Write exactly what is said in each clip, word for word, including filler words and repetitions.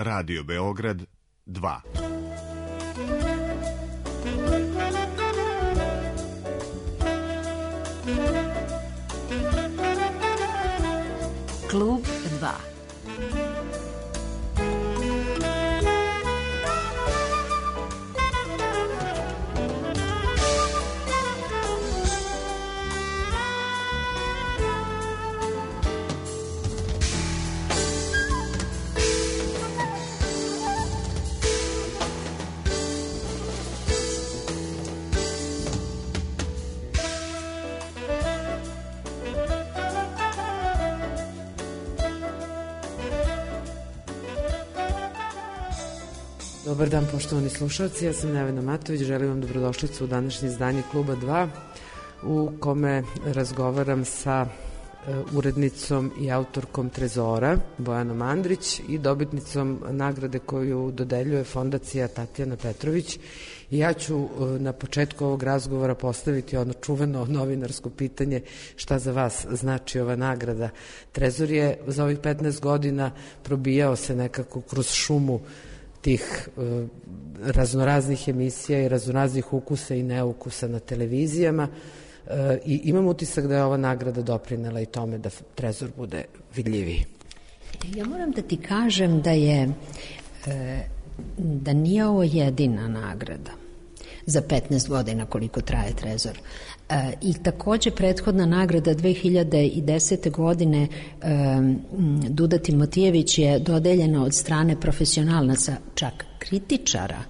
Radio Beograd dva. Klub dva. Dobar dan, poštovani slušalci, ja sam Nevena Matović, želim vam dobrodošlicu u današnje izdanje Kluba dva, u kome razgovaram sa urednicom i autorkom Trezora, Bojanom Andrić, i dobitnicom nagrade koju dodeljuje Fondacija Tatjana Petrović. I ja ću na početku ovog razgovora postaviti ono čuveno novinarsko pitanje šta za vas znači ova nagrada. Trezor je za ovih petnaest godina probijao se nekako kroz šumu tih uh, raznoraznih emisija i raznoraznih ukusa i neukusa na televizijama uh, i imam utisak da je ova nagrada doprinela i tome da Trezor bude vidljiviji. Ja moram da ti kažem da je e, da nije ovo jedina nagrada za petnaest godina koliko traje Trezor. E, I takođe prethodna nagrada dve hiljade desete. godine e, Duda Timotijević je dodeljena od strane profesionalnaca, čak kritičara.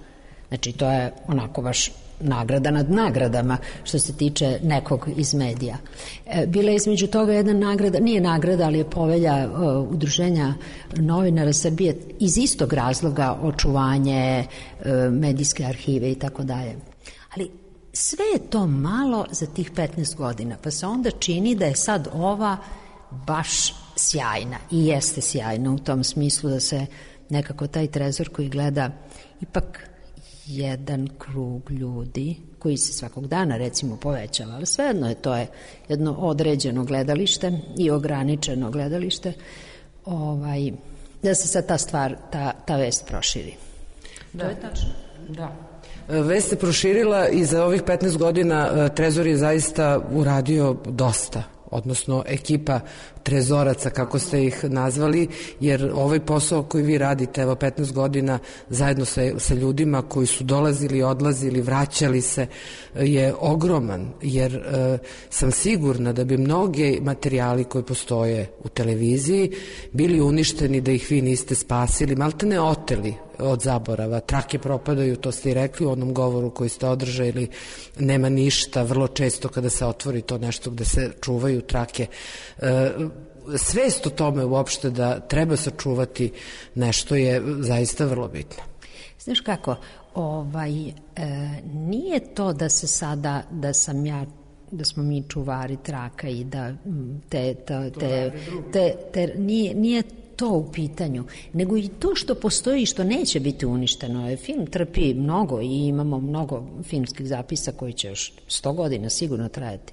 Znači to je onako baš nagrada nad nagradama što se tiče nekog iz medija. E, bila je između toga jedna nagrada, nije nagrada, ali je povelja e, Udruženja novinara Srbije iz istog razloga, očuvanje e, medijske arhive i tako dalje. Ali sve je to malo za tih petnaest godina, pa se onda čini da je sad ova baš sjajna i jeste sjajna u tom smislu da se nekako taj Trezor koji gleda ipak jedan krug ljudi koji se svakog dana recimo povećava, ali svejedno je to je jedno određeno gledalište i ograničeno gledalište, ovaj, da se sad ta stvar, ta, ta vest proširi. Da. To je tačno. Da. Vest se proširila i za ovih petnaest godina Trezor je zaista uradio dosta, odnosno ekipa trezoraca, kako ste ih nazvali, jer ovaj posao koji vi radite, evo petnaest godina, zajedno sa, sa ljudima koji su dolazili, odlazili, vraćali se, je ogroman, jer e, sam sigurna da bi mnoge materijali koji postoje u televiziji bili uništeni da ih vi niste spasili, malte ne oteli od zaborava. Trake propadaju, to ste i rekli u onom govoru koji ste održali, nema ništa, vrlo često kada se otvori to nešto gde se čuvaju trake. E, svest o tome uopšte da treba sačuvati nešto je zaista vrlo bitno. Znaš kako, ovaj, e, nije to da se sada, da sam ja da smo mi čuvari traka i da te, te, te, te, te nije, nije to u pitanju, nego i to što postoji i što neće biti uništeno. Film trpi mnogo i imamo mnogo filmskih zapisa koji će još sto godina sigurno trajati.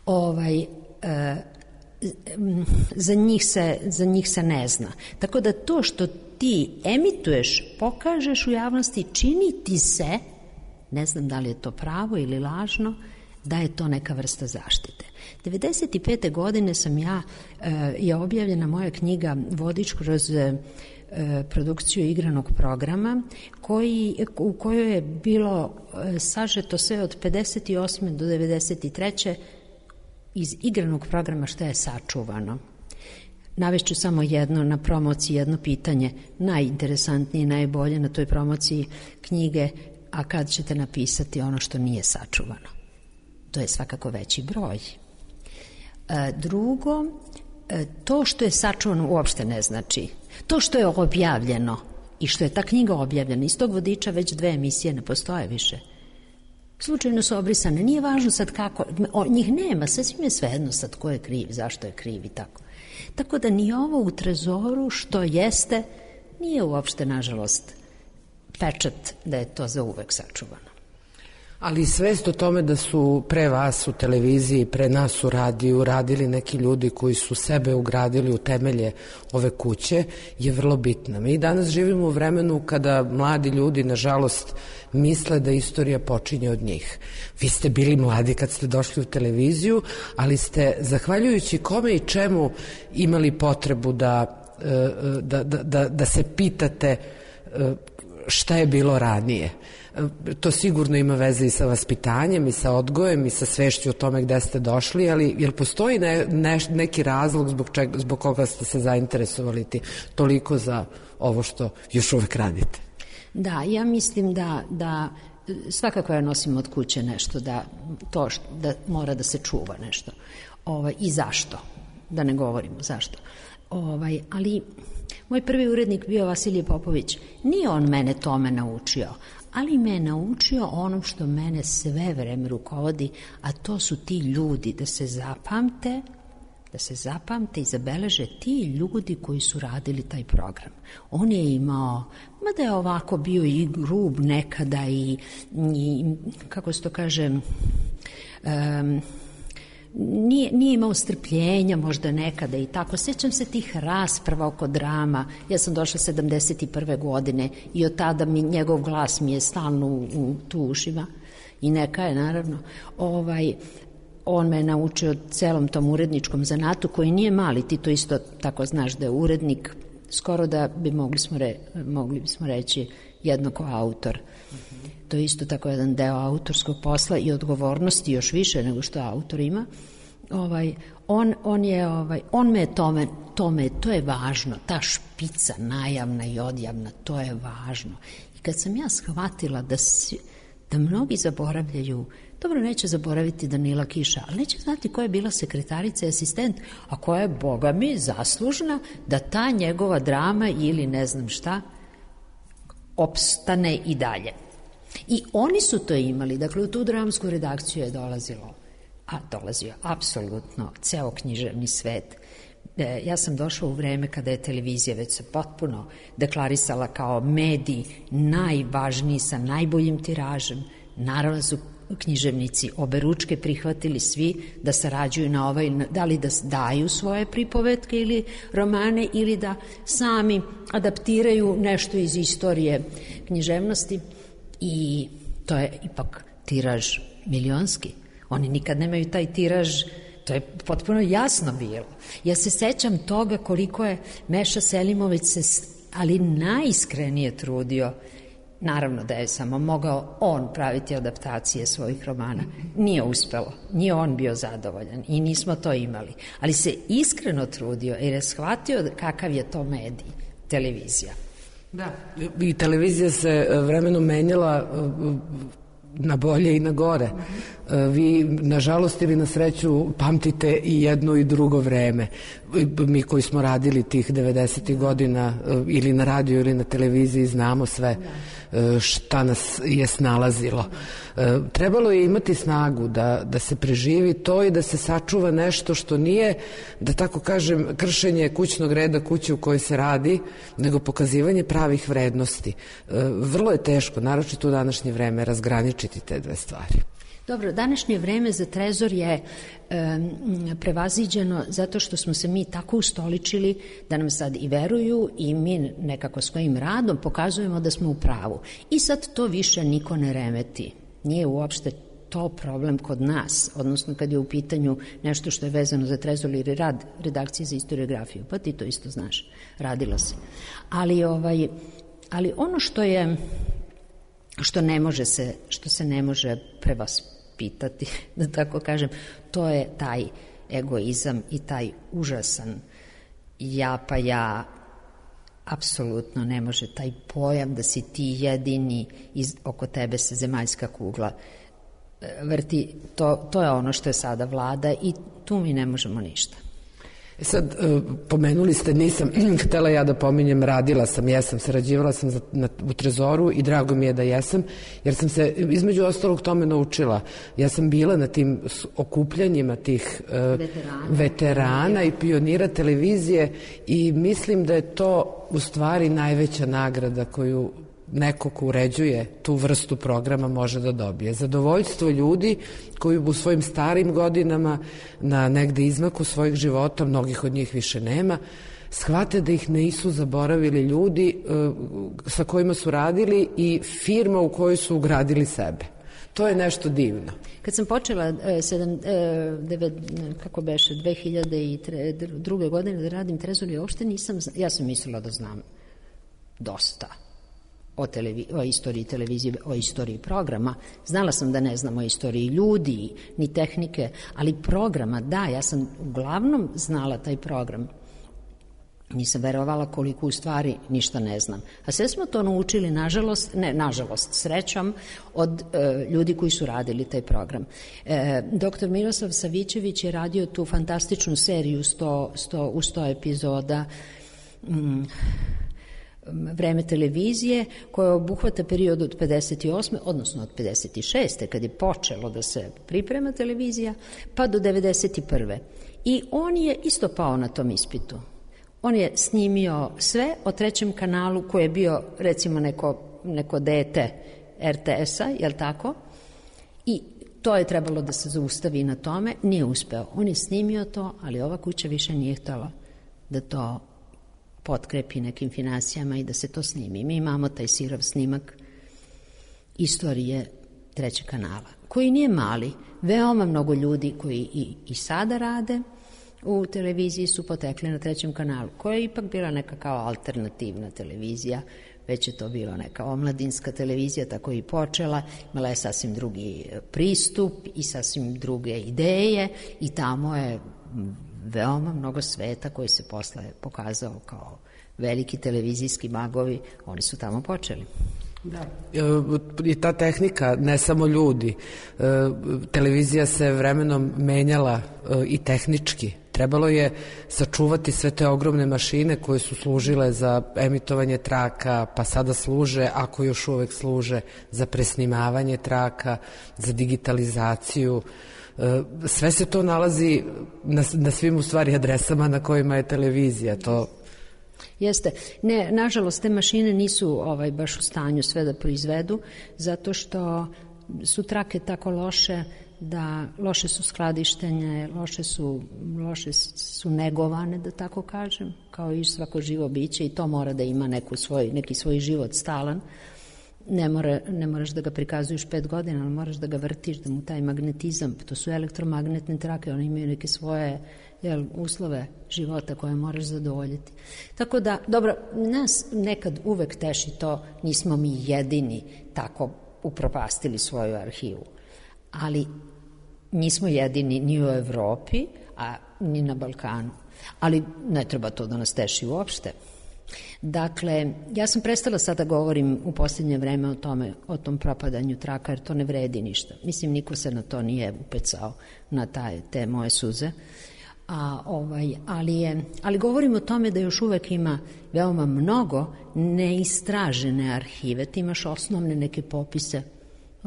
Ovaj, e, za njih se, za njih se ne zna. Tako da to što ti emituješ, pokažeš u javnosti, čini ti se, ne znam da li je to pravo ili lažno, da je to neka vrsta zaštite. devedeset pete. godine sam ja, je objavljena moja knjiga Vodič kroz produkciju igranog programa, koji, u kojoj je bilo sažeto sve od pedeset osme do devedeset treće iz igranog programa što je sačuvano. Navešću samo jedno na promociji, jedno pitanje, najinteresantnije i najbolje na toj promociji knjige, a kad ćete napisati ono što nije sačuvano. To je svakako veći broj. E, drugo, e, to što je sačuvano uopšte ne znači. To što je objavljeno i što je ta knjiga objavljena, iz tog vodiča već dve emisije ne postoje više. Slučajno su obrisane, nije važno sad kako, o, njih nema, sasvim je svejedno sad ko je kriv, zašto je kriv i tako. Tako da ni ovo u Trezoru što jeste, nije uopšte, nažalost, pečat da je to za uvek sačuvano. Ali svest o tome da su pre vas u televiziji, pre nas u radiju radili neki ljudi koji su sebe ugradili u temelje ove kuće je vrlo bitna. Mi danas živimo u vremenu kada mladi ljudi, nažalost, misle da istorija počinje od njih. Vi ste bili mladi kad ste došli u televiziju, ali ste, zahvaljujući kome i čemu, imali potrebu da, da, da, da, da se pitate šta je bilo ranije. To sigurno ima veze i sa vaspitanjem i sa odgojem i sa svešću o tome gde ste došli, ali jel postoji ne, ne, neki razlog zbog, čega, zbog koga ste se zainteresovali ti toliko za ovo što još uvek radite? Da, ja mislim da, da svakako ja nosim od kuće nešto, da to što, da mora da se čuva nešto. Ovaj, I zašto? Da ne govorimo zašto. Ovaj, ali moj prvi urednik bio Vasilije Popović. Nije on mene tome naučio, ali me je naučio onom što mene sve vreme rukovodi, a to su ti ljudi, da se zapamte, da se zapamte i zabeleže ti ljudi koji su radili taj program. On je imao, mada je ovako bio i grub nekada i, i kako se to kaže, um, Nije, nije imao strpljenja možda nekada i tako. Sjećam se tih rasprava oko drama. Ja sam došla sedamdeset prve godine i od tada mi, njegov glas mi je stalno u, u tu ušima i neka je naravno. Ovaj, on me je naučio celom tom uredničkom zanatu koji nije mali, ti to isto tako znaš da je urednik, skoro da bi mogli smo, re, mogli bismo reći jednako autor. To je isto tako jedan deo autorskog posla i odgovornosti još više nego što autor ima. Ovaj, on, on, je, ovaj, on me je tome, tome, to je važno, ta špica najavna i odjavna, to je važno. I kad sam ja shvatila da, si, da mnogi zaboravljaju, dobro, neće zaboraviti Danila Kiša, ali neće znati koja je bila sekretarica i asistent, a koja je, boga mi, zaslužna da ta njegova drama ili ne znam šta opstane i dalje. I oni su to imali, dakle u tu dramsku redakciju je dolazilo, a dolazio apsolutno ceo književni svet. E, ja sam došla u vreme kada je televizija već se potpuno deklarisala kao medij najvažniji sa najboljim tiražem. Naravno su književnici oberučke prihvatili svi da sarađuju na ovaj, da li da daju svoje pripovetke ili romane ili da sami adaptiraju nešto iz istorije književnosti. I to je ipak tiraž milionski. Oni nikad nemaju taj tiraž, to je potpuno jasno bilo. Ja se sećam toga koliko je Meša Selimović se, ali najiskrenije trudio. Naravno da je samo mogao on praviti adaptacije svojih romana. Nije uspelo, nije on bio zadovoljan i nismo to imali. Ali se iskreno trudio jer je shvatio kakav je to medij, televizija. Da, i televizija se vremenom menjala na bolje i na gore. Vi, nažalost ili na sreću, pamtite i jedno i drugo vreme. Mi koji smo radili tih devedesetih godina ili na radiju ili na televiziji znamo sve šta nas je snalazilo. Trebalo je imati snagu da, da se preživi to i da se sačuva nešto što nije, da tako kažem, kršenje kućnog reda kuće u kojoj se radi, nego pokazivanje pravih vrednosti. Vrlo je teško, naročito u današnje vreme, razgraničiti te dve stvari. Dobro, današnje vreme za Trezor je e, prevaziđeno zato što smo se mi tako ustoličili da nam sad i veruju i mi nekako svojim radom pokazujemo da smo u pravu. I sad to više niko ne remeti. Nije uopšte to problem kod nas, odnosno kad je u pitanju nešto što je vezano za Trezor ili rad redakcije za historiografiju, pa ti to isto znaš, radilo se. Ali, ovaj, ali ono što je što ne može se, što se ne može prevaspitati, da tako kažem, to je taj egoizam i taj užasan ja pa ja, apsolutno ne može taj pojam da si ti jedini iz, oko tebe se zemaljska kugla vrti, to, to je ono što je sada vlada i tu mi ne možemo ništa. Sad, pomenuli ste, nisam htela ja da pominjem, radila sam, jesam, sarađivala sam za, na, u Trezoru i drago mi je da jesam, jer sam se između ostalog tome naučila. Ja sam bila na tim okupljanjima tih uh, veterana. veterana i pionira televizije i mislim da je to u stvari najveća nagrada koju neko ko uređuje tu vrstu programa može da dobije. Zadovoljstvo ljudi koji u svojim starim godinama na negde izmaku svojih života, mnogih od njih više nema, shvate da ih nisu zaboravili ljudi sa kojima su radili i firma u kojoj su ugradili sebe. To je nešto divno. Kad sam počela sedam, devet, kako beše, dve hiljade druge godine da radim Trezor, ja uopšte nisam, ja sam mislila da znam dosta o, televi, o istoriji televizije, o istoriji programa. Znala sam da ne znam o istoriji ljudi, ni tehnike, ali programa, da, ja sam uglavnom znala taj program. Nisam verovala koliko u stvari ništa ne znam. A sve smo to naučili, nažalost, ne, nažalost, srećom, od e, ljudi koji su radili taj program. E, doktor Miroslav Savićević je radio tu fantastičnu seriju sto, sto, u sto epizoda mm, Vreme televizije, koja obuhvata period od pedeset osme odnosno od pedeset šeste kad je počelo da se priprema televizija, pa do devedeset prve I on je isto pao na tom ispitu. On je snimio sve o trećem kanalu koji je bio recimo neko, neko dete er te es-a, jel tako? I to je trebalo da se zaustavi na tome, nije uspeo. On je snimio to, ali ova kuća više nije htjela da to potkrepi nekim finansijama i da se to snimi. Mi imamo taj sirov snimak istorije trećeg kanala, koji nije mali. Veoma mnogo ljudi koji i, i sada rade u televiziji su potekli na trećem kanalu, koja je ipak bila neka kao alternativna televizija, već je to bila neka omladinska televizija, tako i počela, imala je sasvim drugi pristup i sasvim druge ideje i tamo je veoma mnogo sveta koji se posle pokazao kao veliki televizijski magovi, oni su tamo počeli. Da. I ta tehnika, ne samo ljudi, televizija se vremenom menjala i tehnički. Trebalo je sačuvati sve te ogromne mašine koje su služile za emitovanje traka, pa sada služe, ako još uvek služe, za presnimavanje traka, za digitalizaciju. Sve se to nalazi na, na svim u stvari adresama na kojima je televizija. To Jeste. Ne, nažalost, te mašine nisu ovaj, baš u stanju sve da proizvedu, zato što su trake tako loše da loše su skladištenje, loše su, loše su negovane, da tako kažem, kao i svako živo biće, i to mora da ima neku svoj, neki svoj život stalan. Ne, mora, ne moraš da ga prikazuješ pet godina, ali moraš da ga vrtiš, da mu taj magnetizam, to su elektromagnetne trake, one imaju neke svoje jel, uslove života koje moraš zadovoljiti. Tako da, dobro, nas nekad uvek teši to, nismo mi jedini tako upropastili svoju arhivu, ali nismo jedini ni u Evropi, a ni na Balkanu. Ali ne treba to da nas teši uopšte. Dakle, ja sam prestala sada govorim u posljednje vreme o tome, o tom propadanju traka, jer to ne vredi ništa. Mislim, niko se na to nije upecao, na taj, te moje suze. A, ovaj, ali, je, ali govorim o tome da još uvek ima veoma mnogo neistražene arhive. Ti imaš osnovne neke popise,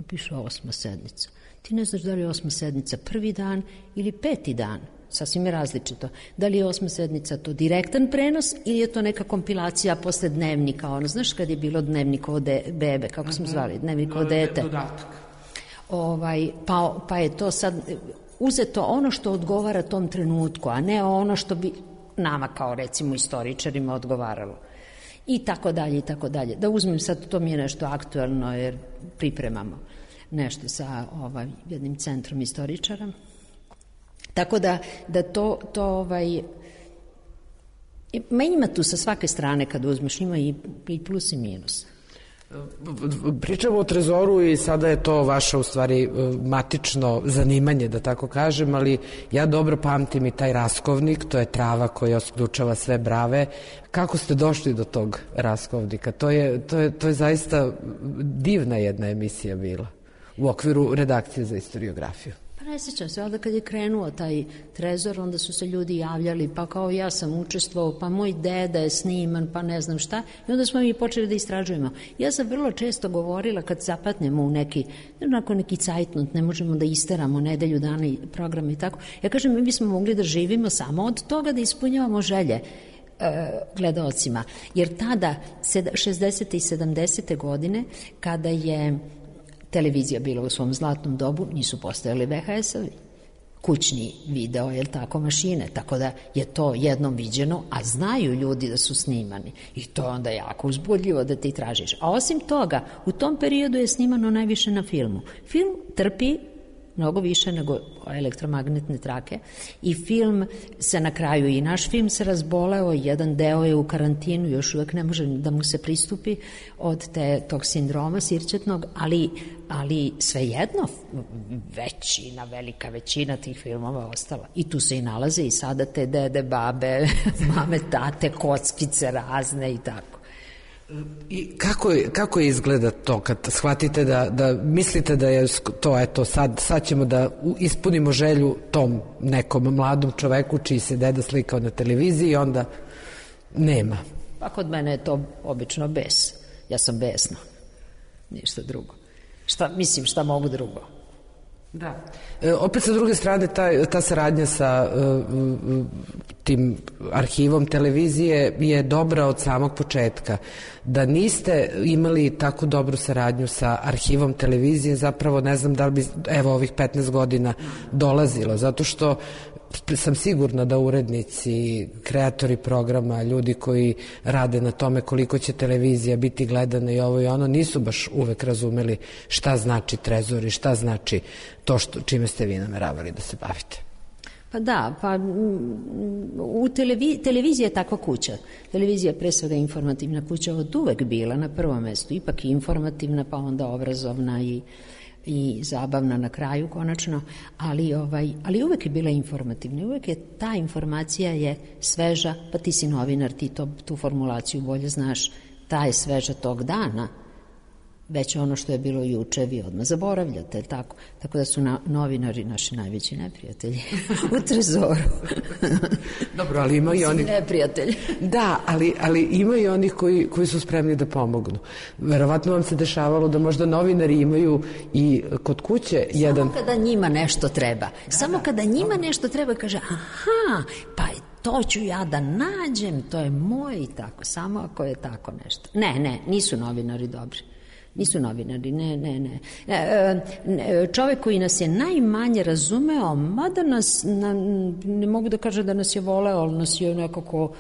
piše osma sednica. Ti ne znaš da li je osma sednica prvi dan ili peti dan. Sasvim je različito. Da li je osma sednica to direktan prenos ili je to neka kompilacija posle dnevnika, ono, znaš kad je bilo dnevnikovo de, bebe, kako smo zvali, dnevnikovo dete. Dodatak. Ovaj, pa, pa je to sad uzeto ono što odgovara tom trenutku, a ne ono što bi nama kao recimo istoričarima odgovaralo. I tako dalje, i tako dalje. Da uzmem sad, to mi je nešto aktuelno jer pripremamo nešto sa ovaj, jednim centrom istoričara. Tako da, da to, to ovaj, ma ima tu sa svake strane kad uzmeš, ima i, i plus i minus. Pričamo o Trezoru i sada je to vaše u stvari matično zanimanje, da tako kažem, ali ja dobro pamtim i taj raskovnik, to je trava koja osključava sve brave. Kako ste došli do tog raskovnika? To je, to je, to je zaista divna jedna emisija bila u okviru redakcije za istoriografiju. Pa ne sjećam se, onda kad je krenuo taj Trezor, onda su se ljudi javljali, pa kao ja sam učestvovao, pa moj deda je sniman, pa ne znam šta, i onda smo mi počeli da istražujemo. Ja sam vrlo često govorila kad zapatnemo u neki, onako neki cajtnut, ne možemo da isteramo nedelju dana i programe i tako. Ja kažem, mi bismo mogli da živimo samo od toga da ispunjavamo želje gledaocima. Jer tada, šezdesete i sedamdesete godine, kada je televizija bila u svom zlatnom dobu, nisu postojali ve ha es-ovi, kućni video, jel tako, mašine, tako da je to jednom viđeno, a znaju ljudi da su snimani. I to je onda jako uzbudljivo da ti tražiš. A osim toga, u tom periodu je snimano najviše na filmu. Film trpi mnogo više nego elektromagnetne trake i film se na kraju, i naš film se razboleo, jedan deo je u karantinu, još uvek ne može da mu se pristupi od te, tog sindroma sirćetnog, ali, ali svejedno većina, velika većina tih filmova ostala. I tu se i nalaze i sada te dede, babe, mame, tate, kockice razne i tako. I kako, kako izgleda to kad shvatite da, da mislite da je to, eto, sad, sad ćemo da ispunimo želju tom nekom mladom čoveku čiji se deda slikao na televiziji i onda nema? Pa kod mene je to obično bes. Ja sam besna. Ništa drugo. Šta, mislim, šta mogu drugo? Da. E, opet sa druge strane ta, ta saradnja sa uh, tim arhivom televizije je dobra od samog početka. Da niste imali tako dobru saradnju sa arhivom televizije, zapravo ne znam da li bi evo ovih petnaest godina dolazilo, zato što sam sigurna da urednici, kreatori programa, ljudi koji rade na tome koliko će televizija biti gledana i ovo i ono, nisu baš uvek razumeli šta znači Trezor i šta znači to što, čime ste vi nameravali da se bavite. Pa da, pa u televi, televizija je takva kuća. Televizija je pre svega informativna kuća, od uvek bila na prvom mestu, ipak i informativna, pa onda obrazovna i i zabavna na kraju konačno, ali, ovaj, ali uvek je bila informativna, uvek je ta informacija je sveža, pa ti si novinar, ti to, tu formulaciju bolje znaš, ta je sveža tog dana, već ono što je bilo juče vi odmah zaboravljate, tako, tako da su na, novinari naši najveći neprijatelji u Trezoru. Dobro, ali ima i oni... neprijatelji. Da, ali, ali ima i onih koji, koji su spremni da pomognu. Verovatno vam se dešavalo da možda novinari imaju i kod kuće samo jedan... Samo kada njima nešto treba. Da, samo da, kada njima nešto treba, kaže, aha, pa to ću ja da nađem, to je moj i tako, samo ako je tako nešto. Ne, ne, nisu novinari dobri. Nisu novinari, ne, ne, ne. E, čovek koji nas je najmanje razumeo, mada nas, na, ne mogu da kažem da nas je voleo, ali nas je nekako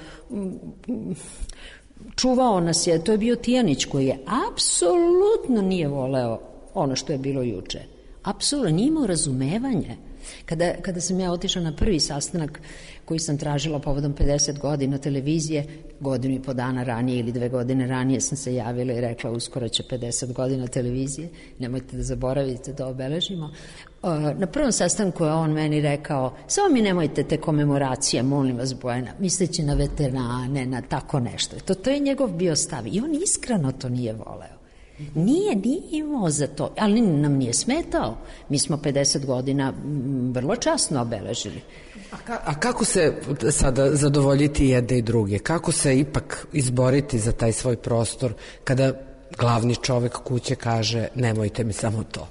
čuvao nas je, to je bio Tijanić koji je apsolutno nije voleo ono što je bilo juče. Apsolutno, nije imao razumevanje. Kada, kada sam ja otišla na prvi sastanak koji sam tražila povodom pedeset godina televizije, godinu i po dana ranije ili dve godine ranije sam se javila i rekla uskoro će pedeset godina televizije, nemojte da zaboravite da obeležimo. Na prvom sastanku je on meni rekao, samo mi nemojte te komemoracije, molim vas Bojana, misleći na veterane, na tako nešto. To, to je njegov bio stav i on iskreno to nije voleo. Nije, nije imao za to, ali nam nije smetao. Mi smo pedeset godina vrlo časno obeležili. A, ka, a kako se sada zadovoljiti jedne i druge? Kako se ipak izboriti za taj svoj prostor kada glavni čovek kuće kaže nemojte mi samo to?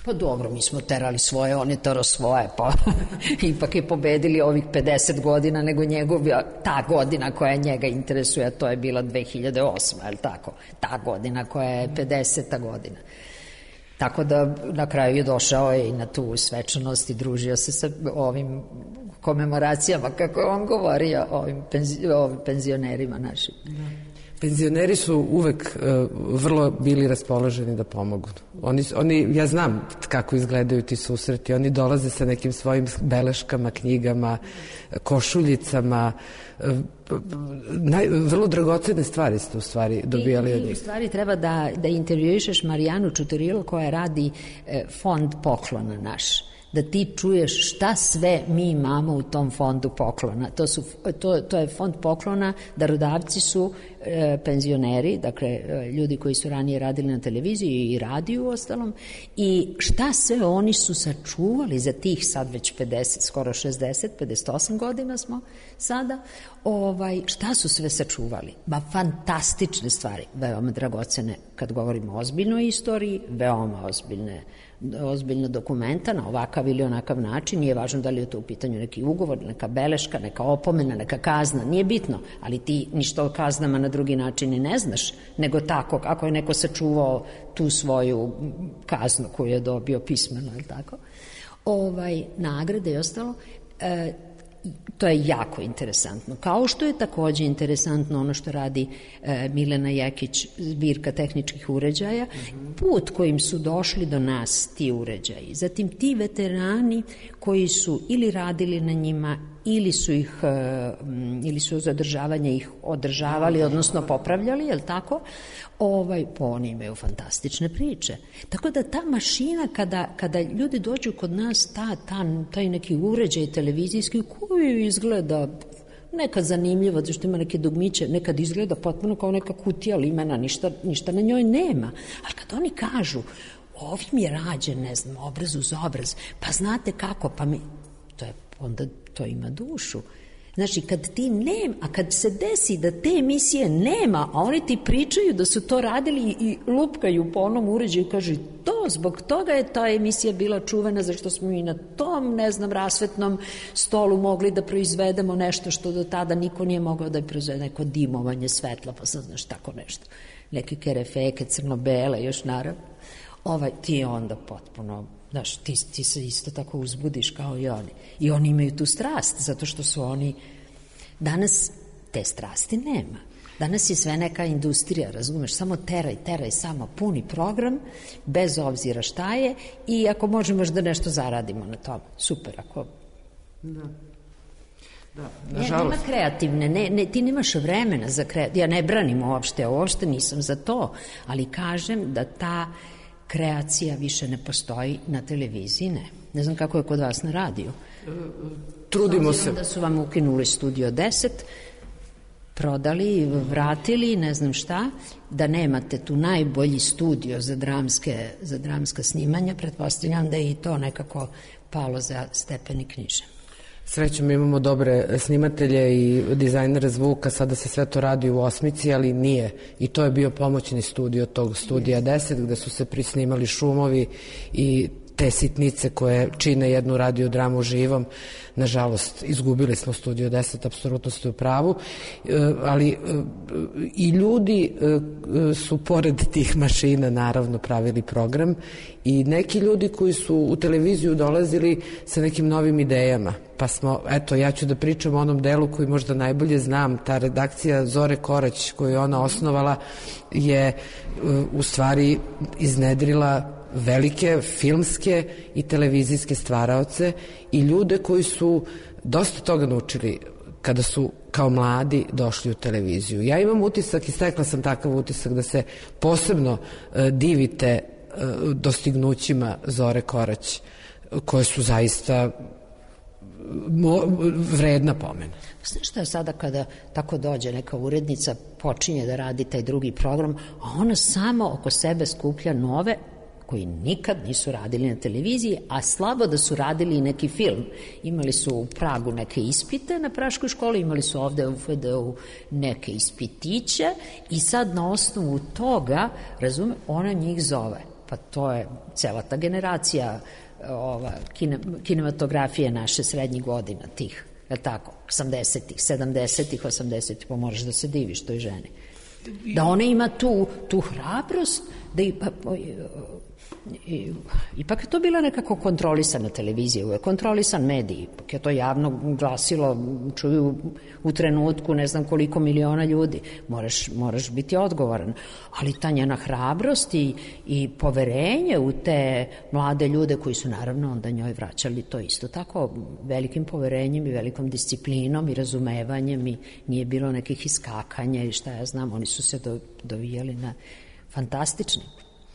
Pa dobro, mi smo terali svoje, on je tero svoje, pa ipak je pobedili ovih pedeset godina nego njegov, ta godina koja njega interesuje, a to je bila dve hiljade osma, je li tako? Ta godina koja je pedeseta godina. Tako da na kraju je došao i na tu svečanost i družio se sa ovim komemoracijama, kako je on govorio, ovim, penzi, ovim penzionerima našim. Da. Penzioneri su uvek uh, vrlo bili raspoloženi da pomogu. Oni, oni, ja znam kako izgledaju ti susreti. Oni dolaze sa nekim svojim beleškama, knjigama, košuljicama. Uh, naj, vrlo dragocene stvari ste u stvari dobijali od njih. U stvari treba da, da intervjuišeš Marijanu Čuturilo koja radi eh, fond poklona naš. Da ti čuješ šta sve mi imamo u tom fondu poklona. To, su, to, to je fond poklona, darodavci su e, penzioneri, dakle ljudi koji su ranije radili na televiziji i radiju u ostalom, i šta sve oni su sačuvali za tih sad već pedeset, skoro šezdeset, pedeset osam godina smo sada, ovaj, šta su sve sačuvali? Ba, fantastične stvari, veoma dragocene kad govorimo o ozbiljnoj istoriji, veoma ozbiljne ozbiljna dokumenta na ovakav ili onakav način, nije važno da li je to u pitanju neki ugovor, neka beleška, neka opomena, neka kazna, nije bitno, ali ti ništa o kaznama na drugi način i ne znaš, nego tako, ako je neko sačuvao tu svoju kaznu koju je dobio pismeno, je tako? Ovaj, nagrade i ostalo, e, to je jako interesantno. Kao što je takođe interesantno ono što radi e, Milena Jekić, zbirka tehničkih uređaja, put kojim su došli do nas ti uređaji. Zatim ti veterani koji su ili radili na njima ili su ih, e, ili su zadržavanje ih održavali, odnosno popravljali, je li tako? Ovaj, po oni imaju fantastične priče. Tako da ta mašina, kada, kada ljudi dođu kod nas, ta, ta, taj neki uređaj televizijski koji izgleda nekad zanimljivo, zato što ima neke dugmiće, nekad izgleda potpuno kao neka kutija limena, ništa, ništa na njoj nema. Ali kad oni kažu, ovim je rađen, ne znam, obraz uz obraz, pa znate kako, pa mi, to je, onda to ima dušu. Znači, kad ti nema, a kad se desi da te emisije nema, a oni ti pričaju da su to radili i lupkaju po onom uređaju i kažu, to, zbog toga je ta emisija bila čuvena, zašto smo mi na tom, ne znam, rasvetnom stolu mogli da proizvedemo nešto što do tada niko nije mogao da proizvede, neko dimovanje svetla, pa sad znaš tako nešto. Neke kerefeke, crno-bele, još naravno. Ovaj, ti je onda potpuno... Znaš, ti, ti se isto tako uzbudiš kao i oni. I oni imaju tu strast, zato što su oni... Danas te strasti nema. Danas je sve neka industrija, razumeš, samo teraj, teraj, samo puni program, bez obzira šta je, i ako možemo da nešto zaradimo na tome, super, ako... Da. Da, nažalost. Nema kreativne, ne, ne, ti nemaš vremena za kreativne, ja ne branim uopšte, uopšte nisam za to, ali kažem da ta kreacija više ne postoji na televiziji, ne. Ne znam kako je kod vas na radiju. Trudimo se. Da su vam ukinuli Studio deset, prodali, vratili, ne znam šta, da nemate tu najbolji studio za dramske, za dramska snimanja, pretpostavljam da je i to nekako palo za stepeni knjiže. Srećom imamo dobre snimatelje i dizajnere zvuka, sada se sve to radi u Osmici, ali nije. I to je bio pomoćni studio tog Studija deset, gde su se prisnimali šumovi i te sitnice koje čine jednu radiodramu živom. Nažalost, izgubili smo Studio deset, apsolutno ste u pravu, ali i ljudi su pored tih mašina naravno pravili program i neki ljudi koji su u televiziju dolazili sa nekim novim idejama. Pa smo, eto, ja ću da pričam o onom delu koji možda najbolje znam, ta redakcija Zore Korać koju je ona osnovala je u stvari iznedrila velike filmske i televizijske stvaraoce i ljude koji su dosta toga naučili kada su kao mladi došli u televiziju. Ja imam utisak i stekla sam takav utisak da se posebno uh, divite uh, dostignućima Zore Korać, koje su zaista mo, vredna pomena. Znaš šta je sada kada tako dođe neka urednica, počinje da radi taj drugi program, a ona samo oko sebe skuplja nove koji nikad nisu radili na televiziji, a slabo da su radili i neki film. Imali su u Pragu neke ispite na praškoj školi, imali su ovde u F D U neke ispitiće i sad na osnovu toga, razume, ona njih zove. Pa to je cela ta generacija ova, kine, kinematografije naše srednjih godina tih, je li tako, osamdesetih, sedamdesetih, osamdesetih, pa moraš da se diviš toj ženi. Da ona ima tu, tu hrabrost, da i, pa, I, ipak je to bila nekako kontrolisana televizija, je kontrolisan medij, ipak je to javno glasilo, čuju u trenutku ne znam koliko miliona ljudi, moraš, moraš biti odgovoran, ali ta njena hrabrost i, i poverenje u te mlade ljude koji su naravno onda njoj vraćali to isto tako velikim poverenjem i velikom disciplinom i razumevanjem i nije bilo nekih iskakanja i šta ja znam, oni su se do, dovijali na fantastični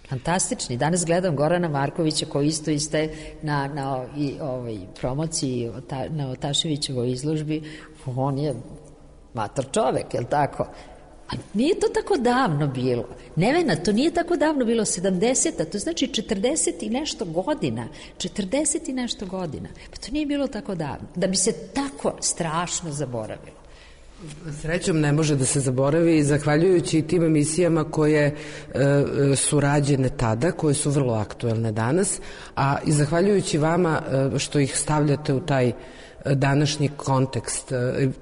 Fantastični. Danas gledam Gorana Markovića koji isto iste na, na i, ovoj promociji na Otaševićevoj izložbi. On je mator čovek, je li tako? A nije to tako davno bilo. Nevena, to nije tako davno bilo, sedamdeseta, to znači četrdeset i nešto godina. četrdeset i nešto godina. Pa to nije bilo tako davno. Da bi se tako strašno zaboravilo. Srećom ne može da se zaboravi, zahvaljujući tim emisijama koje e, su rađene tada, koje su vrlo aktuelne danas, a i zahvaljujući vama e, što ih stavljate u taj današnji kontekst.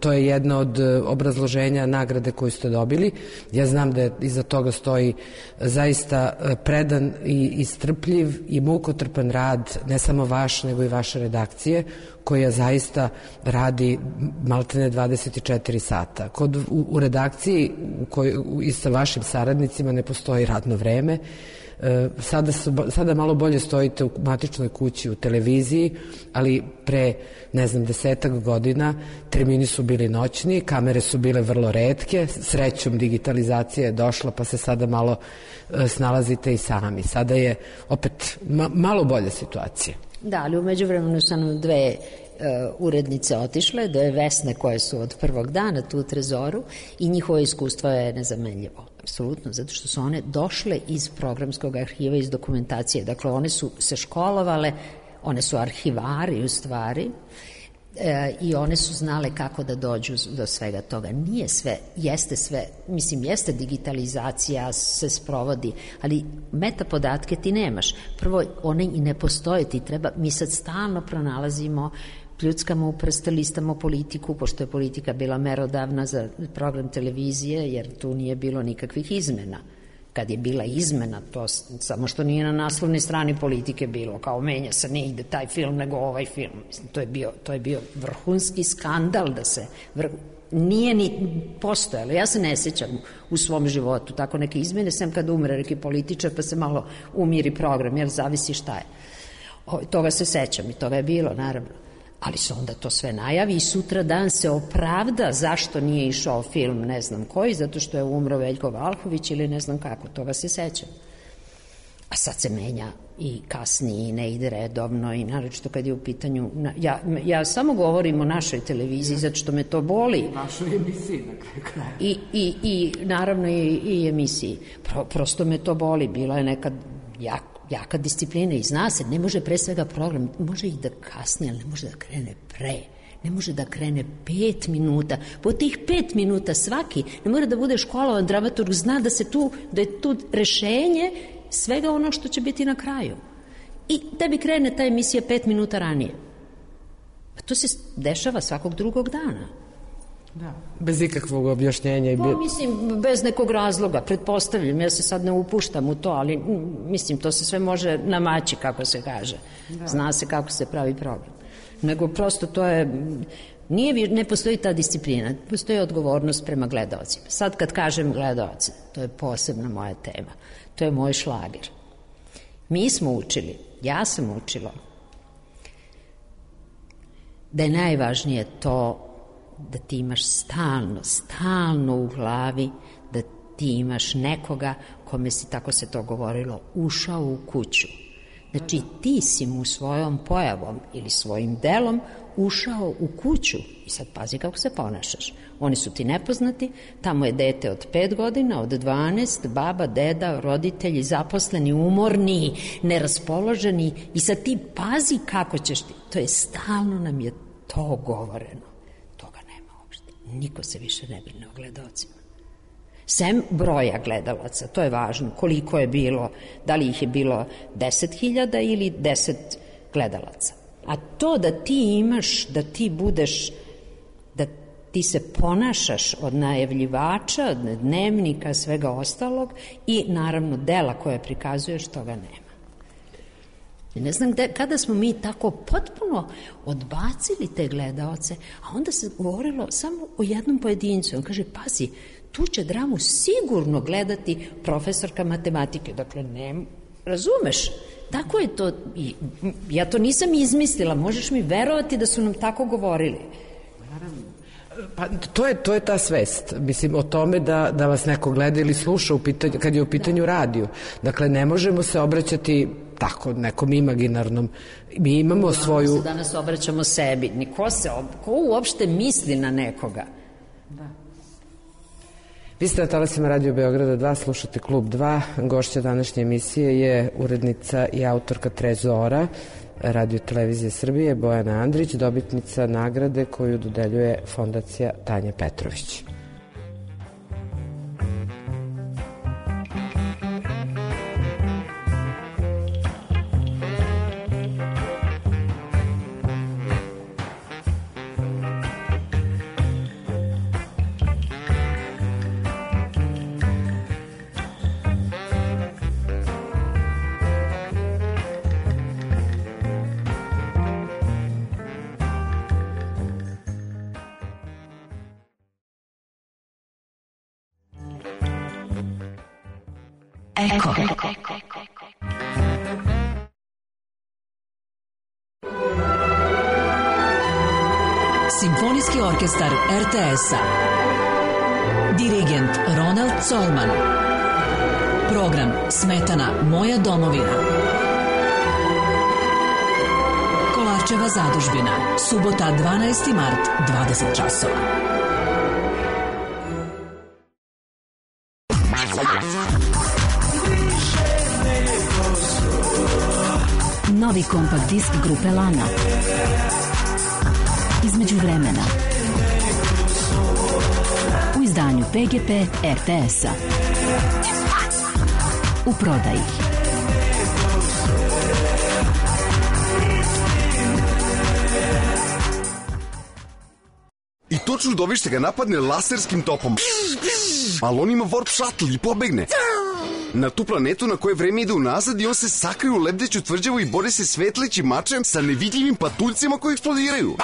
To je jedno od obrazloženja nagrade koju ste dobili. Ja znam da iza toga stoji zaista predan i istrpljiv i mukotrpan rad, ne samo vaš, nego i vaše redakcije, koja zaista radi maltene dvadeset četiri sata. Kod, u, u redakciji u koj, u, i sa vašim saradnicima ne postoji radno vreme. Sada, sada malo bolje stojite u matičnoj kući, u televiziji, ali pre, ne znam, desetak godina termini su bili noćni, kamere su bile vrlo retke, srećom digitalizacija je došla pa se sada malo snalazite i sami. Sada je opet ma, malo bolja situacija. Da, ali u međuvremenu su nam dve uh, urednice otišle, dve Vesne koje su od prvog dana tu u Trezoru i njihovo iskustvo je nezamenljivo. Apsolutno, zato što su one došle iz programskog arhiva, iz dokumentacije. Dakle, one su se školovale, one su arhivari u stvari e, i one su znale kako da dođu do svega toga. Nije sve, jeste sve, mislim, jeste digitalizacija, se sprovodi, ali metapodatke ti nemaš. Prvo, one i ne postoje, ti treba, mi sad stalno pronalazimo, pljuckamo u prste, listamo politiku, pošto je politika bila merodavna za program televizije, jer tu nije bilo nikakvih izmena. Kad je bila izmena, to samo što nije na naslovnoj strani politike bilo, kao menja se, ne ide taj film nego ovaj film. Mislim, to je bio, to je bio vrhunski skandal da se... Vrh, nije ni postojalo. Ja se ne sjećam u svom životu tako neke izmene, sem kad umre neki političar pa se malo umiri program, jer zavisi šta je. O, toga se sećam i toga je bilo, naravno. Ali se onda to sve najavi i sutra dan se opravda zašto nije išao film ne znam koji, zato što je umro Veljko Valhović ili ne znam kako, toga se sećam. A sad se menja i kasnije i ne ide redovno i naročito kad je u pitanju... Ja, ja samo govorim o našoj televiziji zato što me to boli. Našoj emisiji na kraju kraja. I, i, i naravno i, i emisiji. Pro, prosto me to boli. Bila je nekad jak jaka disciplina i zna se, ne može pre svega program, može i da kasni, ali ne može da krene pre, ne može da krene pet minuta. Po tih pet minuta svaki, ne mora da bude školovan dramaturg, zna da se tu, da je tu rešenje svega ono što će biti na kraju. I tebi krene ta emisija pet minuta ranije. Pa to se dešava svakog drugog dana. Da. Bez ikakvog objašnjenja. I pa, mislim, bez nekog razloga, pretpostavljam, ja se sad ne upuštam u to, ali mislim, to se sve može namaći, kako se kaže. Da. Zna se kako se pravi program. Nego prosto to je, nije, ne postoji ta disciplina, postoji odgovornost prema gledaocima. Sad kad kažem gledaoce, to je posebna moja tema, to je moj šlager. Mi smo učili, ja sam učila, da je najvažnije to da ti imaš stalno, stalno u glavi, da ti imaš nekoga kome si, tako se to govorilo, ušao u kuću. Znači ti si mu svojom pojavom ili svojim delom ušao u kuću i sad pazi kako se ponašaš. Oni su ti nepoznati, tamo je dete od pet godina, od dvanaest, baba, deda, roditelji, zaposleni, umorni, neraspoloženi i sad ti pazi kako ćeš ti. To je stalno nam je to govoreno. Niko se više ne brine o gledalcima. Sem broja gledalaca, to je važno, koliko je bilo, da li ih je bilo deset hiljada ili deset gledalaca. A to da ti imaš, da ti budeš, da ti se ponašaš od najavljivača, od dnevnika, svega ostalog i naravno dela koje prikazuješ, toga nema. Ne znam gde, kada smo mi tako potpuno odbacili te gledaoce, a onda se govorilo samo o jednom pojedincu. On kaže, pazi, tu će dramu sigurno gledati profesorka matematike. Dakle, ne, razumeš? Tako je to. I, ja to nisam izmislila. Možeš mi verovati da su nam tako govorili. Naravno. Pa to je, to je ta svest, mislim, o tome da, da vas neko gleda ili sluša u pitanju, kad je u pitanju radio. Dakle, ne možemo se obraćati tako nekom imaginarnom. Mi imamo da, svoju... Se danas obraćamo sebi. Niko se, ko uopšte misli na nekoga? Da. Vi ste na talasima Radio Beograda dva, slušate Klub dva. Gošća današnje emisije je urednica i autorka Trezora Radio Televizije Srbije, Bojana Andrić, dobitnica nagrade koju dodeljuje Fondacija Tanja Petrović. Eko. Simfonijski orkestar er te es-a. Dirigent Ronald Colman. Program Smetana Moja domovina. Kolarčeva zadužbina. Subota dvanaesti mart, dvadeset časova. Novi kompakt disk grupe Lana. Između vremena. U izdanju pe ge pe er te es-a. U prodaji. I to čudovište ga napadne laserskim topom. Ali on ima warp shuttle i pobegne. Na tu planetu na koje vreme ide unazad i on se sakrije u lebdeću tvrđavu i bori se svetleći mačem sa nevidljivim patuljcima koji eksplodiraju.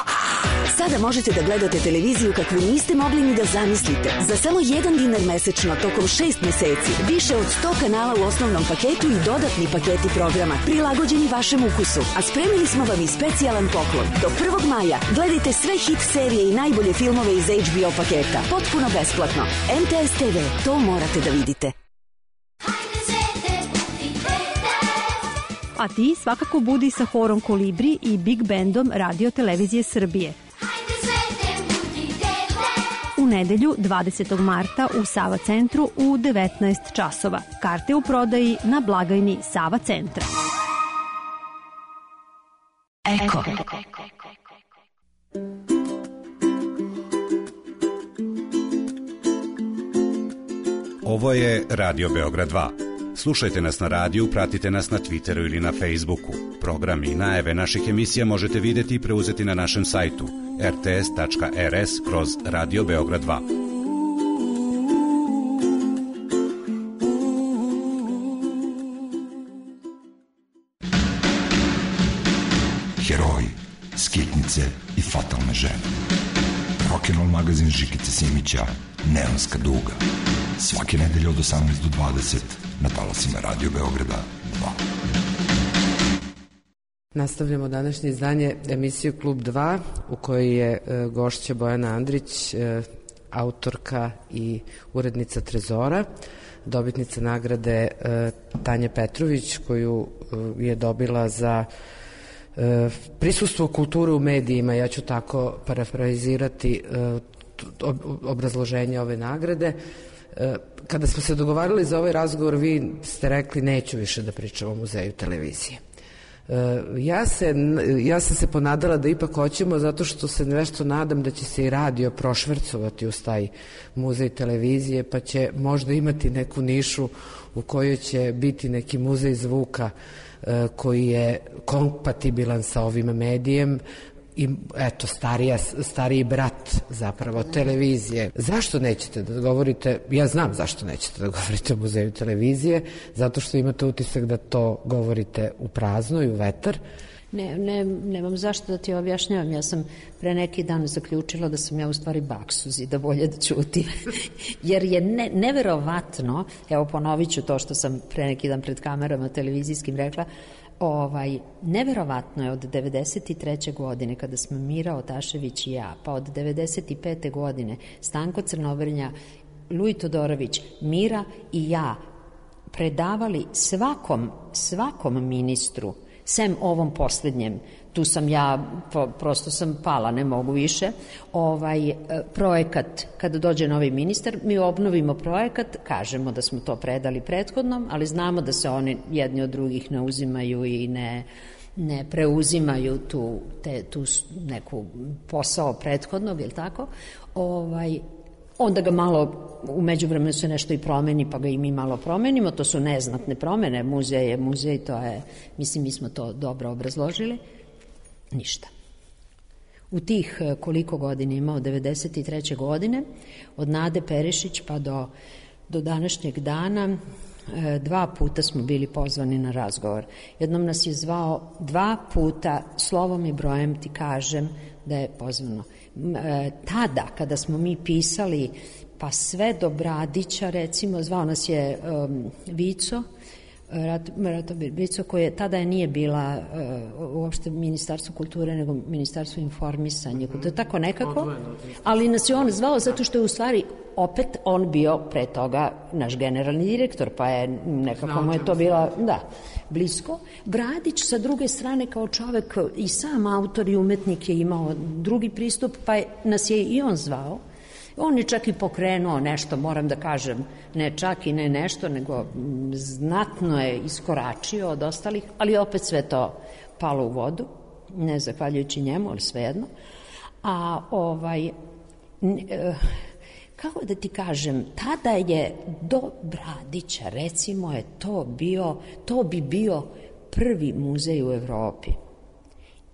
Sada možete da gledate televiziju kakvu niste mogli ni da zamislite. Za samo jedan dinar mesečno tokom šest meseci. Više od sto kanala u osnovnom paketu i dodatni paketi programa prilagođeni vašem ukusu. A spremili smo vam i specijalan poklon. Do prvog maja gledajte sve hit serije i najbolje filmove iz ha be o paketa. Potpuno besplatno. em te es te ve, to morate da vidite. A ti svakako budi sa horom Kolibri i Big Bandom Radio Televizije Srbije. U nedelju dvadesetog marta u Sava centru u devetnaest časova. Karte u prodaji na blagajni Sava centra. Eko. Ovo je Radio Beograd dva. Slušajte nas na radiju, pratite nas na Twitteru ili na Facebooku. Program i najave naših emisija možete videti i preuzeti na našem sajtu er te es tačka er es kroz Radio Beograd dva. Heroji, skitnice i fatalne žene. Rock'n'roll magazin Žikice Simića, Neonska duga. Svake nedelje od osamnaest do dvadeset na talasima Radio Beograda dva. Nastavljamo današnje izdanje emisiju Klub dva u kojoj je e, gošća Bojana Andrić, e, autorka i urednica Trezora, dobitnica nagrade e, Tanja Petrović koju e, je dobila za e, prisustvo kulture u medijima. Ja ću tako parafrazirati e, obrazloženje ove nagrade. Kada smo se dogovarali za ovaj razgovor, vi ste rekli neću više da pričam o muzeju televizije. Ja, se, ja sam se ponadala da ipak hoćemo, zato što se nešto nadam da će se i radio prošvercovati uz taj muzej televizije, pa će možda imati neku nišu u kojoj će biti neki muzej zvuka koji je kompatibilan sa ovim medijem, i eto, starija, stariji brat zapravo televizije. Zašto nećete da govorite, ja znam zašto nećete da govorite o muzeju televizije, zato što imate utisak da to govorite u prazno i u vetar. Ne, ne, nemam zašto da ti objašnjavam. Ja sam pre neki dan zaključila da sam ja u stvari baksuz i da bolje da ćutim. Jer je ne, neverovatno, evo ponovit ću to što sam pre neki dan pred kamerama televizijskim rekla, Ovaj, neverovatno je od devedeset treće godine kada smo Mira Otašević i ja, pa od devedeset pete godine Stanko Crnobrnja, Luj Todorović, Mira i ja predavali svakom, svakom ministru sem ovom poslednjem, tu sam ja, prosto sam pala, ne mogu više, ovaj projekat, kada dođe novi ministar, mi obnovimo projekat, kažemo da smo to predali prethodnom, ali znamo da se oni jedni od drugih ne uzimaju i ne, ne preuzimaju tu, te, tu neku posao prethodnog, je li tako? Ovaj, onda ga malo, u međuvremenu se nešto i promeni, pa ga i mi malo promenimo, to su neznatne promene, muzej je muzej, to je, mislim, mi smo to dobro obrazložili. Ništa. U tih koliko godina ima, od devedeset treće godine, od Nade Perišić pa do, do današnjeg dana, dva puta smo bili pozvani na razgovor. Jednom nas je zvao dva puta, slovom i brojem ti kažem da je pozvano. Tada, kada smo mi pisali, pa sve do Bradića, recimo, zvao nas je um, Vico, Ratobir Vico, koje tada je nije bila uh, uopšte Ministarstvo kulture, nego Ministarstvo informisanja. Mm-hmm. To je tako nekako, ali nas je on zvao zato što je u stvari opet on bio pre toga naš generalni direktor, pa je nekako mu je to bila, da, blisko. Bradić sa druge strane kao čovek i sam autor i umetnik je imao drugi pristup, pa je, nas je i on zvao. On je čak i pokrenuo nešto, moram da kažem, ne čak i ne nešto, nego znatno je iskoračio od ostalih, ali opet sve to palo u vodu, ne zahvaljujući njemu, ali svejedno. A ovaj, kako da ti kažem, tada je do Bradića, recimo, je to bio, to bi bio prvi muzej u Evropi.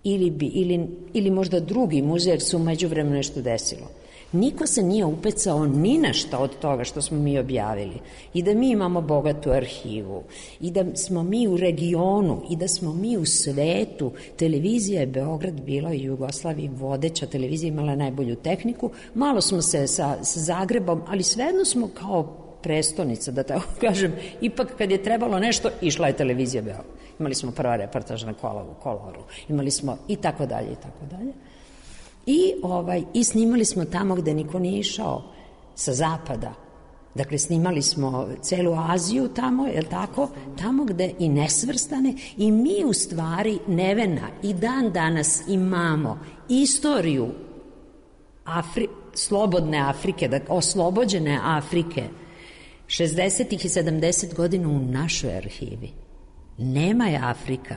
Ili, bi, ili, ili možda drugi muzej, jer se u međuvremenu nešto desilo. Niko se nije upecao ni na šta od toga što smo mi objavili. I da mi imamo bogatu arhivu, i da smo mi u regionu, i da smo mi u svetu. Televizija je Beograd bila i Jugoslaviji vodeća televizija, imala najbolju tehniku. Malo smo se sa, sa Zagrebom, ali svejedno smo kao prestonica, da tako kažem. Ipak kad je trebalo nešto, išla je televizija Beograd. Imali smo prva reportažna kola u Koloru, imali smo i tako dalje, i tako dalje. I, ovaj, I snimali smo tamo gde niko nije išao, sa zapada. Dakle, snimali smo celu Aziju tamo, je li tako? Tamo gde i nesvrstane. I mi u stvari, Nevena, i dan danas imamo istoriju Afri, slobodne Afrike, da, oslobođene Afrike, šezdesetih i sedamdesetih godina u našoj arhivi. Nema je Afrika,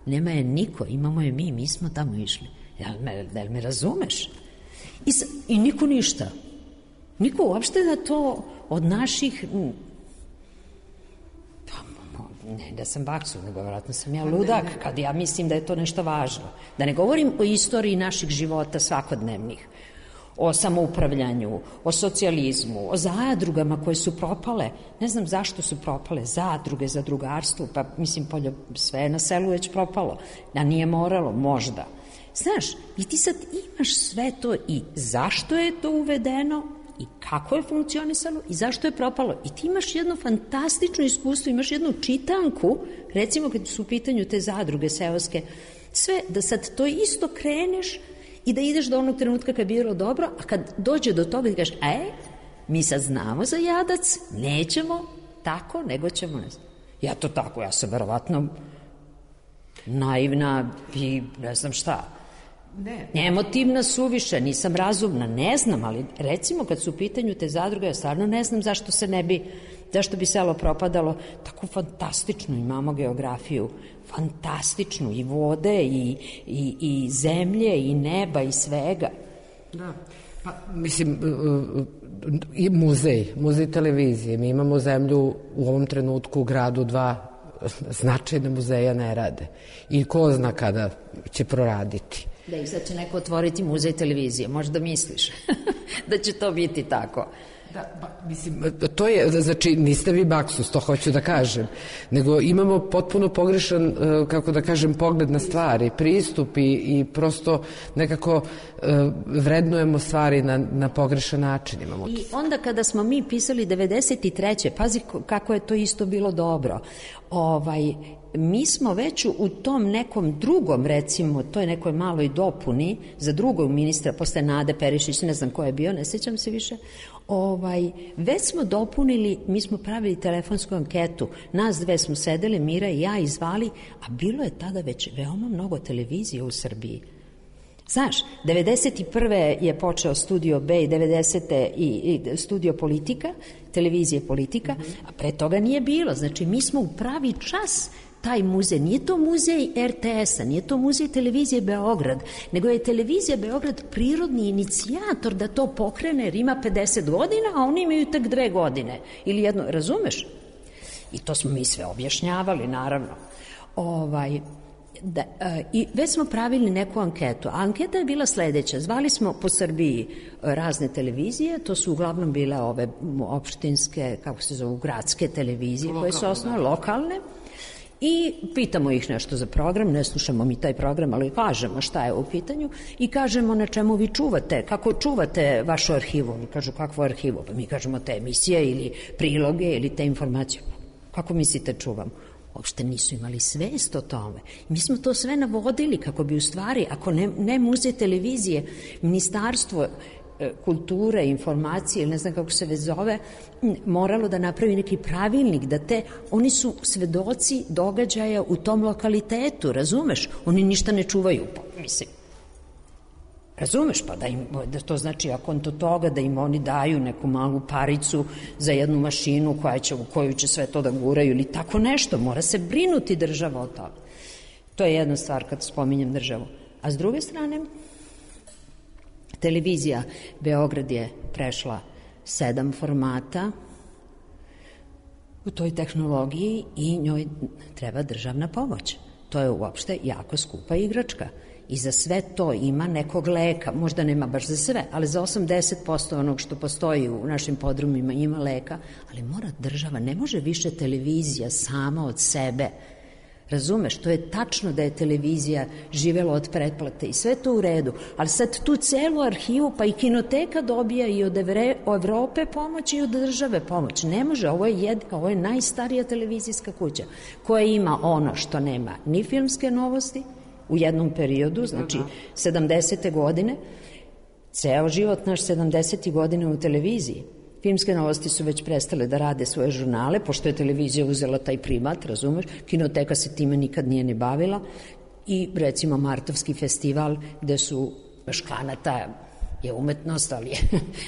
nema je niko, imamo je mi, mi smo tamo išli. Jel me, jel me razumeš? I, I niko ništa. Niko uopšte da to od naših... Pa, ne da sam baksu, nego vratno sam ja ludak, kad ja mislim da je to nešto važno. Da ne govorim o istoriji naših života svakodnevnih, o samoupravljanju, o socijalizmu, o zadrugama koje su propale. Ne znam zašto su propale zadruge, zadrugarstvo, pa mislim, poljo, sve na selu već propalo. Da nije moralo, možda. Znaš, i ti sad imaš sve to i zašto je to uvedeno i kako je funkcionisalo i zašto je propalo. I ti imaš jedno fantastično iskustvo, imaš jednu čitanku, recimo kad su u pitanju te zadruge seoske, sve, da sad to isto kreneš i da ideš do onog trenutka kad je bilo dobro, a kad dođe do toga i kažeš, e, mi sad znamo za jadac, nećemo tako, nego ćemo, ne znam. Ja to tako, ja sam verovatno naivna i ne znam šta. Ne. Emotivna suviše, nisam razumna, ne znam, ali recimo kad su u pitanju te zadruge, ja stvarno ne znam zašto se ne bi, zašto bi selo propadalo. Tako fantastičnu imamo geografiju, fantastičnu, i vode, i, i, i zemlje, i neba, i svega. Da, pa mislim, i muzej, muzej televizije, mi imamo zemlju u ovom trenutku u gradu, dva značajne muzeja ne rade. I ko zna kada će proraditi. Da, i sad će neko otvoriti muzej televizije, možda misliš da će to biti tako. Da, ba, mislim, to je, znači, niste vi baksus, to hoću da kažem, nego imamo potpuno pogrešan, kako da kažem, pogled na stvari, pristup i, i prosto nekako vrednujemo stvari na, na pogrešan način. Imamo. I onda kada smo mi pisali devedeset treće pazi kako je to isto bilo dobro, ovaj, mi smo već u tom nekom drugom, recimo, toj nekoj maloj dopuni za drugog ministra, posle Nade Perišić, ne znam ko je bio, ne sjećam se više, ovaj, već smo dopunili, mi smo pravili telefonsku anketu, nas dve smo sedele, Mira i ja, i zvali, a bilo je tada već veoma mnogo televizije u Srbiji. Znaš, devedeset prve je počeo Studio B i devedesete i, i Studio Politika, televizije Politika, a pre toga nije bilo. Znači, mi smo u pravi čas taj muzej, nije to muzej er te es-a, nije to muzej televizije Beograd, nego je televizija Beograd prirodni inicijator da to pokrene, jer ima pedeset godina, a oni imaju tek dve godine. Ili jedno, razumeš? I to smo mi sve objašnjavali, naravno. Ovaj... Da, e, i već smo pravili neku anketu, a anketa je bila sledeća, zvali smo po Srbiji razne televizije, to su uglavnom bile ove opštinske, kako se zovu, gradske televizije, lokalne, koje su osnovne, lokalne, i pitamo ih nešto za program, ne slušamo mi taj program, ali kažemo šta je u pitanju i kažemo na čemu vi čuvate, kako čuvate vašu arhivu. Mi kažu kakvu arhivu, pa mi kažemo te emisije ili priloge ili te informacije. Kako mislite čuvamo? Uopšte nisu imali svest o tome. Mi smo to sve navodili kako bi u stvari, ako ne, ne muzej televizije, ministarstvo kulture, informacije, ili ne znam kako se već zove, moralo da napravi neki pravilnik, da te, oni su svedoci događaja u tom lokalitetu, razumeš? Oni ništa ne čuvaju, pa, mislim. Razumeš, pa da, im, da to znači, ako on to toga, da im oni daju neku malu paricu za jednu mašinu koja će, u koju će sve to da guraju ili tako nešto, mora se brinuti država o toga. To je jedna stvar kad spominjem državu. A s druge strane, televizija Beograd je prešla sedam formata u toj tehnologiji i njoj treba državna pomoć. To je uopšte jako skupa igračka. I za sve to ima nekog leka, možda nema baš za sve, ali za osamdeset posto onog što postoji u našim podrumima ima leka, ali mora država, ne može više televizija sama od sebe. Razumeš, to je tačno da je televizija živela od pretplate i sve to u redu, ali sad tu celu arhivu, pa i kinoteka dobija i od Evre, Evrope pomoć i od države pomoć. Ne može, ovo je, jed, ovo je najstarija televizijska kuća koja ima ono što nema ni filmske novosti, u jednom periodu, znači sedamdesete godine, ceo život naš sedamdesetih godine u televiziji. Filmske novosti su već prestale da rade svoje žurnale, pošto je televizija uzela taj primat, razumeš, kinoteka se time nikad nije ni bavila i recimo Martovski festival gde su Škanata je umetnost, ali je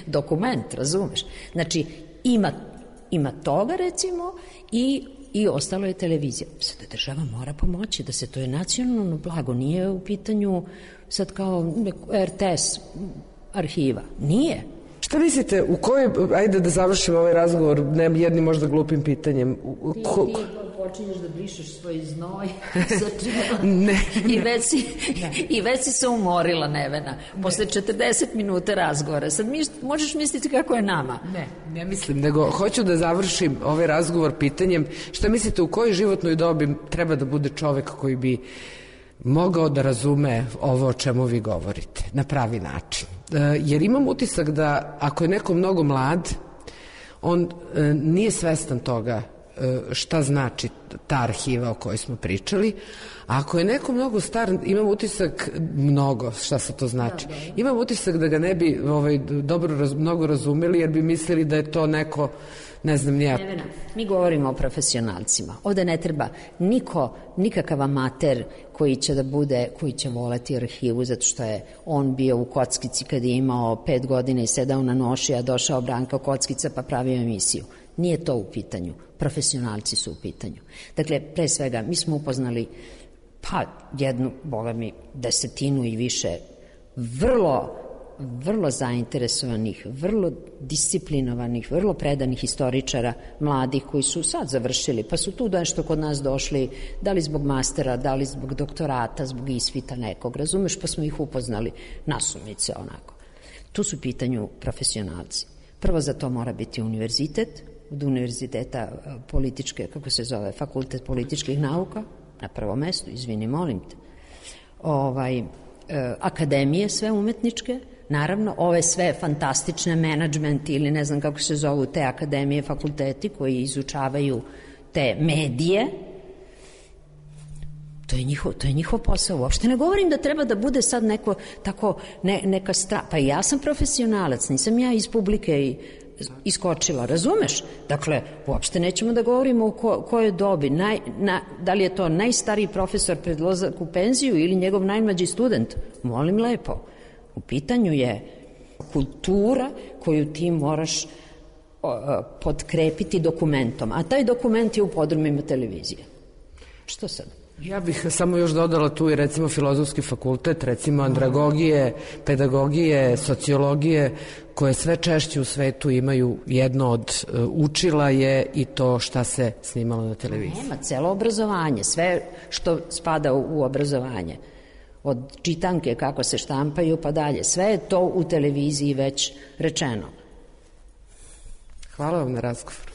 dokument, razumeš. Znači, ima, ima toga recimo i i ostalo je televizija. Sada država mora pomoći da se, to je nacionalno blago, nije u pitanju sad kao er te es arhiva. Nije. Šta mislite, u kojoj, ajde da završimo ovaj razgovor ne jednim možda glupim pitanjem. U, ti, ko, ti počinješ da brišeš svoj znoj ne, i, već si, i već si se umorila, Nevena, posle četrdeset minuta razgovora. Sad mi, možeš misliti kako je nama. Ne, ne mislim, nego hoću da završim ovaj razgovor pitanjem šta mislite u kojoj životnoj dobi treba da bude čovek koji bi mogao da razume ovo o čemu vi govorite na pravi način. Jer imam utisak da ako je neko mnogo mlad, on nije svestan toga šta znači ta arhiva o kojoj smo pričali, a ako je neko mnogo star, imam utisak mnogo, šta se to znači, imam utisak da ga ne bi ovaj, dobro raz, mnogo razumeli, jer bi mislili da je to neko, ne znam, nija. Nevena, mi govorimo o profesionalcima. Ovde ne treba niko, nikakav amater koji će da bude, koji će voleti arhivu, zato što je on bio u kockici kad je imao pet godina i sedao na noši, a došao Branka Kockica pa pravio emisiju. Nije to u pitanju. Profesionalci su u pitanju. Dakle, pre svega, mi smo upoznali pa jednu, boga mi, desetinu i više vrlo vrlo zainteresovanih, vrlo disciplinovanih, vrlo predanih historičara, mladih koji su sad završili, pa su tu nešto kod nas došli, da li zbog mastera, da li zbog doktorata, zbog ispita nekog, razumeš, pa smo ih upoznali nasumice onako. Tu su u pitanju profesionalci. Prvo za to mora biti univerzitet, od univerziteta političke, kako se zove, fakultet političkih nauka, na prvom mestu, izvini, molim te, ovaj, e, akademije sve umetničke, naravno, ove sve fantastične menadžment ili ne znam kako se zovu te akademije, fakulteti koji izučavaju te medije to je njihov, to je njihov posao. Uopšte ne govorim da treba da bude sad neko tako, ne, neka stra... Pa ja sam profesionalac, nisam ja iz publike i iskočila, razumeš? Dakle, uopšte nećemo da govorimo o ko, kojoj dobi, naj, na, da li je to najstariji profesor pred odlazak u penziju ili njegov najmlađi student. Molim lepo. U pitanju je kultura koju ti moraš o, podkrepiti dokumentom, a taj dokument je u podrumima televizije. Što sad? Ja bih samo još dodala tu i recimo filozofski fakultet, recimo andragogije, pedagogije, sociologije, koje sve češće u svetu imaju jedno od uh, učila je i to šta se snimalo na televiziji. Nema, celo obrazovanje, sve što spada u, u obrazovanje. Od čitanke kako se štampaju pa dalje, sve je to u televiziji već rečeno. Hvala vam na razgovoru.